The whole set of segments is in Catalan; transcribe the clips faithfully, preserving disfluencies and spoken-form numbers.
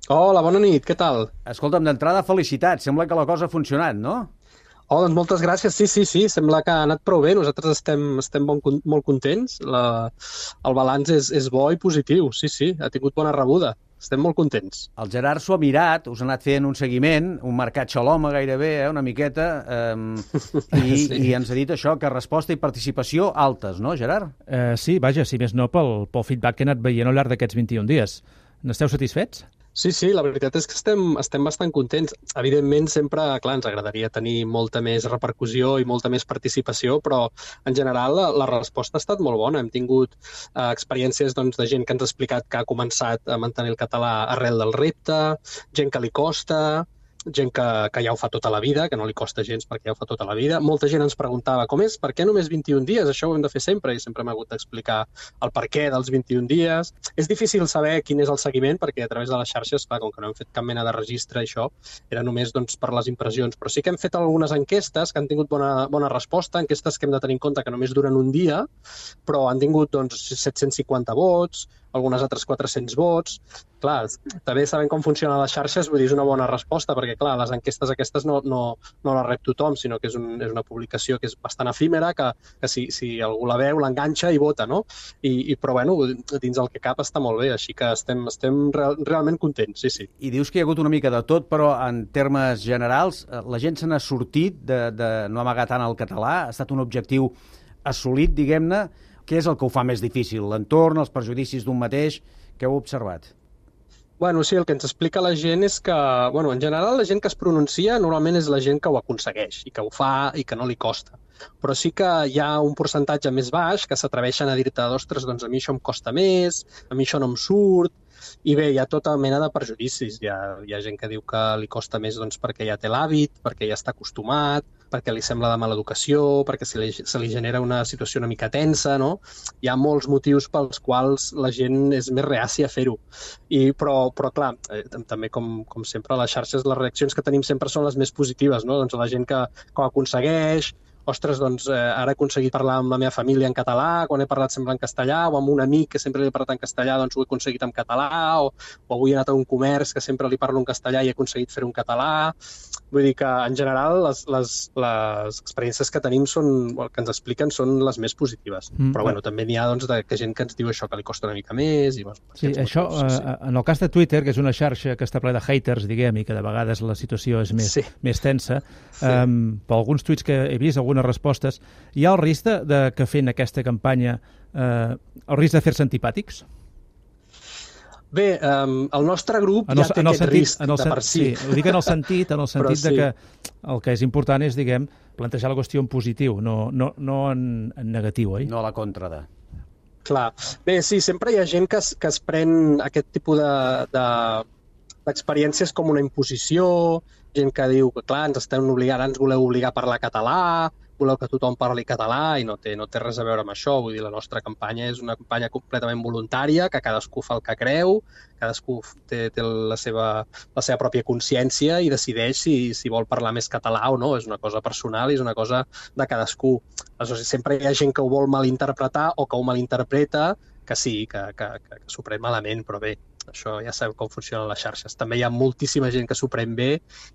Hola, bona nit, què tal? Escolta'm, d'entrada, felicitats. Sembla que la cosa ha funcionat, no? Oh, doncs moltes gràcies. Sí, sí, sí, sembla que ha anat prou bé. Nosaltres estem, estem bon, con- molt contents. La, el balanç és, és bo i positiu. Sí, sí, ha tingut bona rebuda. Estem molt contents. El Gerard s'ho ha mirat, us ha anat fent un seguiment, un mercat xaloma gairebé, eh, una miqueta, eh, i, Sí. i ens ha dit això, que resposta i participació altes, no, Gerard? Eh, sí, vaja, si més no pel, pel feedback que he anat veient al llarg d'aquests vint-i-un dies. N'esteu satisfets? Sí, sí, la veritat és que estem, estem bastant contents. Evidentment, sempre, clar, ens agradaria tenir molta més repercussió i molta més participació, però en general la, la resposta ha estat molt bona. Hem tingut eh, experiències doncs, de gent que ens ha explicat que ha començat a mantenir el català arrel del repte, gent que li costa, gent que, que ja ho fa tota la vida, que no li costa gens perquè ja ho fa tota la vida. Molta gent ens preguntava com és, per què només vint-i-un dies? Això ho hem de fer sempre i sempre hem hagut d'explicar el per què dels vint-i-un dies. És difícil saber quin és el seguiment perquè a través de les xarxes, clar, com que no hem fet cap mena de registre, això era només doncs, per les impressions. Però sí que hem fet algunes enquestes que han tingut bona, bona resposta, enquestes que hem de tenir en compte que només duren un dia, però han tingut doncs, set-cents cinquanta vots, algunes altres quatre-cents vots. Clar, també sabem com funcionen les xarxes, vull dir, és una bona resposta, perquè, clar, les enquestes aquestes no, no, no les rep tothom, sinó que és, un, és una publicació que és bastant efímera, que, que si, si algú la veu, l'enganxa i vota, no? I, i, però, bueno, dins el que cap està molt bé, així que estem, estem real, realment contents, sí, sí. I dius que hi ha hagut una mica de tot, però en termes generals, eh, la gent se n'ha sortit de, de no amagar tant el català, ha estat un objectiu assolit, diguem-ne. Què és el que ho fa més difícil? L'entorn, els prejudicis d'un mateix? Què heu observat? Bueno, sí, el que ens explica la gent és que, bueno, en general la gent que es pronuncia normalment és la gent que ho aconsegueix i que ho fa i que no li costa. Però sí que hi ha un percentatge més baix que s'atreveixen a dir-te, ostres, doncs a mi això em costa més, a mi això no em surt, i bé, hi ha tota mena de prejudicis. Hi ha, hi ha gent que diu que li costa més doncs, perquè ja té l'hàbit, perquè ja està acostumat, perquè li sembla de mala educació, perquè se li, se li genera una situació una mica tensa, no? Hi ha molts motius pels quals la gent és més reàcia a fer-ho. I, però, però, clar, eh, també, com, com sempre, a les xarxes, les reaccions que tenim sempre són les més positives, no? Doncs la gent que, que ho aconsegueix, ostres, doncs eh, ara he aconseguit parlar amb la meva família en català, quan he parlat sempre en castellà, o amb un amic que sempre li he parlat en castellà, doncs ho he aconseguit en català, o, o avui he anat a un comerç que sempre li parlo en castellà i he aconseguit fer-ho en català. Vull dir que, en general, les, les, les experiències que tenim són, el que ens expliquen són les més positives. Mm, Però, bueno, també n'hi ha doncs, de, que gent que ens diu això que li costa una mica més. I, bueno, Sí, això, motius, sí, sí. eh, en el cas de Twitter, que és una xarxa que està ple de haters, diguem, i que de vegades la situació és més, Sí. més tensa, Sí. eh, per alguns tuits que he vist, algunes respostes, hi ha el risc de, de que fent aquesta campanya, eh, el risc de fer-se antipàtics? Bé, um, el nostre grup En el, ja té en el aquest sentit, risc en el, de sen- per si. sí, ho dic en el sentit, en el Però sentit de sí. que el que és important és, diguem, plantejar la qüestió en positiu, no, no, no en, en negatiu, oi? No a la contra de... Clar. Bé, sí, sempre hi ha gent que es, que es pren aquest tipus de, de, d'experiències com una imposició, gent que diu que, clar, ens estem obligant, ens voleu obligar a parlar català, voleu que tothom parli català, i no té, no té res a veure amb això. Vull dir, la nostra campanya és una campanya completament voluntària, que cadascú fa el que creu, cadascú té, té la, seva, la seva pròpia consciència i decideix si, si vol parlar més català o no. És una cosa personal i és una cosa de cadascú. Aleshores, sempre hi ha gent que ho vol malinterpretar o que ho malinterpreta, que sí, que, que, que, que s'ho pren malament, però bé, això ja sabeu com funcionen les xarxes. També hi ha moltíssima gent que s'ho pren bé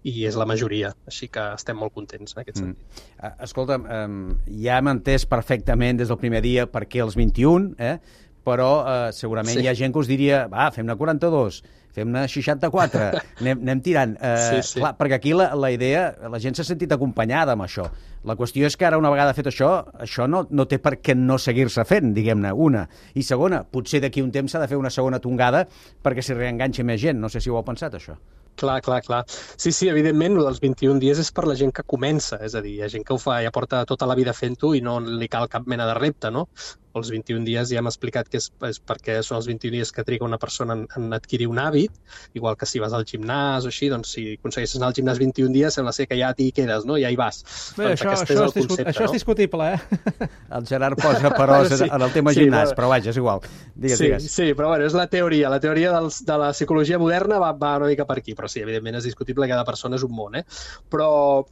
i és la majoria, així que estem molt contents en aquest Mm. sentit. Uh, escolta'm, um, ja hem entès perfectament des del primer dia per què els vint-i-un, eh? Però uh, segurament Sí. hi ha gent que us diria, va, fem-ne quaranta-dos, fem-ne seixanta-quatre, anem, anem tirant. Uh, Sí, sí. Clar, perquè aquí la, la idea, la gent s'ha sentit acompanyada amb això. La qüestió és que ara, una vegada fet això, això no, no té per què no seguir-se fent, diguem-ne, una. I segona, potser d'aquí un temps s'ha de fer una segona tongada perquè s'hi reenganxi més gent. No sé si ho heu pensat, això. Clar, clar, clar. Sí, sí, evidentment, el dels vint-i-un dies és per la gent que comença, és a dir, hi ha gent que ho fa, ja porta tota la vida fent-ho i no li cal cap mena de repte, no? Els vint-i-un dies ja hem explicat que és, és perquè són els vint-i-un dies que triga una persona en, en adquirir un hàbit, igual que si vas al gimnàs o així, doncs si aconsegueixes anar al gimnàs vint-i-un dies, sembla ser que ja t'hi quedes, no? Ja hi vas. Bé, doncs això, aquest això, és el és, discut, concepte, això és no? discutible, eh? El Gerard posa peròs Sí. en el tema Sí, gimnàs, però- però vaja, és igual. Digues, sí, digues. sí, però bueno, és la teoria. La teoria dels, de la psicologia moderna va, va una mica per aquí, però sí, evidentment és discutible, cada persona és un món, eh? Però,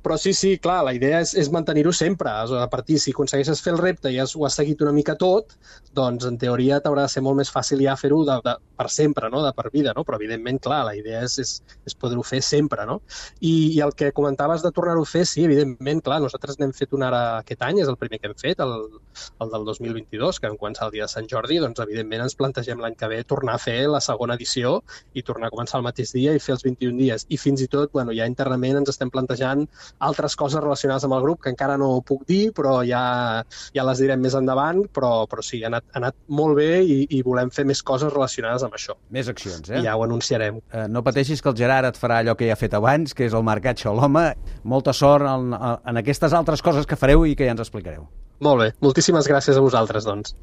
Però sí, sí, clar, la idea és, és mantenir-ho sempre. A partir, si aconsegueixes fer el repte i has, ho has seguit una mica tot, doncs en teoria t'haurà de ser molt més fàcil ja fer-ho de, de, per sempre, no? De per vida, no? Però evidentment, clar, la idea és, és, és poder-ho fer sempre, no? I, I el que comentaves de tornar-ho a fer, sí, evidentment, clar, nosaltres n'hem fet un ara aquest any, és el primer que hem fet, el, el del dos mil vint-i-dos, que en quant al dia de Sant Jordi, doncs evidentment ens plantegem l'any que ve tornar a fer la segona edició i tornar a començar el mateix dia i fer els vint-i-un dies. I fins i tot, bueno, ja internament ens estem plantejant altres coses relacionades amb el grup, que encara no ho puc dir, però ja, ja les direm més endavant, però, però sí, ha anat, ha anat molt bé i, i volem fer més coses relacionades amb això. Més accions, eh? I ja ho anunciarem. Eh, no pateixis que el Gerard et farà allò que ja ha fet abans, que és el marcat Xoloma. Molta sort en, en aquestes altres coses que fareu i que ja ens explicareu. Molt bé, moltíssimes gràcies a vosaltres, doncs.